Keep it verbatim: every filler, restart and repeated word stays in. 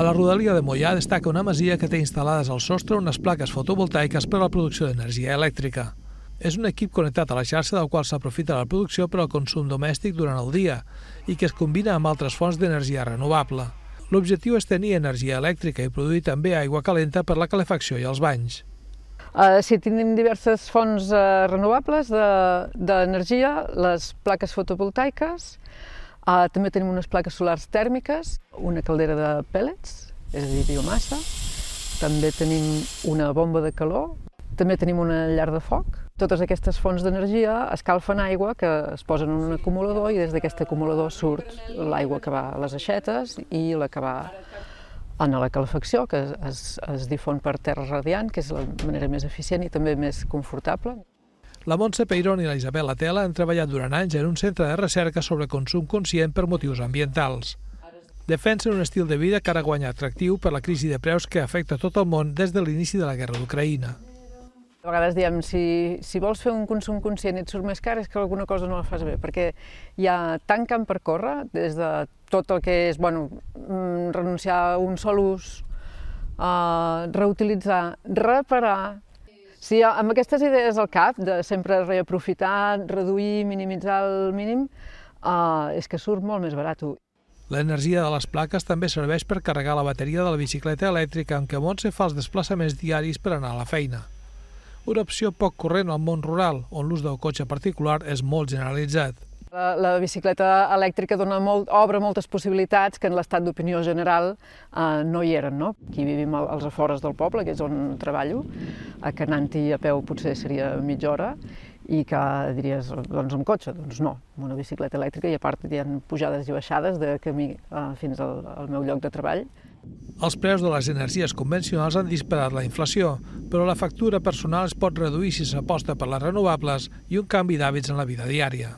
A la rodalia de Moià destaca una masia que té instal·lades al sostre unes plaques fotovoltaiques per a la producció d'energia elèctrica. És un equip connectat a la xarxa del qual s'aprofita la producció per al consum domèstic durant el dia i que es combina amb altres fonts d'energia renovable. L'objectiu és tenir energia elèctrica i produir també aigua calenta per la calefacció i els banys. Uh, sí, tenim diverses fonts uh, renovables d'energia, de, les plaques fotovoltaiques, uh, també tenim unes plaques solars tèrmiques, una caldera de pèl·lets, és a dir, biomassa, també tenim una bomba de calor, també tenim una llar de foc. Totes aquestes fonts d'energia escalfen aigua que es posen en un acumulador i des d'aquest acumulador surt l'aigua que va a les aixetes i la que va en la calefacció, que es, es difon per terra radiant, que és la manera més eficient i també més confortable. La Montse Peirón i la Isabel Atela han treballat durant anys en un centre de recerca sobre consum conscient per motius ambientals. Defensen un estil de vida que ara guanya atractiu per la crisi de preus que afecta tot el món des de l'inici de la guerra d'Ucraïna. A vegades diem, si, si vols fer un consum conscient i et surt més car és que alguna cosa no la fas bé, perquè hi ha tant camp per córrer, des de tot el que és bueno, renunciar a un sol ús, uh, reutilitzar, reparar. Si amb aquestes idees al cap, de sempre reaprofitar, reduir, minimitzar el mínim, uh, és que surt molt més barat. L'energia de les plaques també serveix per carregar la bateria de la bicicleta elèctrica amb què Montse fa els desplaçaments diaris per anar a la feina. Una opció poc corrent al món rural, on l'ús del cotxe particular és molt generalitzat. La, la bicicleta elèctrica dona molt, obre moltes possibilitats que en l'estat d'opinió general eh, no hi eren. No? Aquí vivim als afores del poble, que és on treballo, que anant-hi a peu potser seria mitja hora, i que diries, doncs amb cotxe, doncs no, amb una bicicleta elèctrica, i a part hi ha pujades i baixades de camí eh, fins al, al meu lloc de treball. Els preus de les energies convencionals han disparat la inflació, però la factura personal es pot reduir si s'aposta per les renovables i un canvi d'hàbits en la vida diària.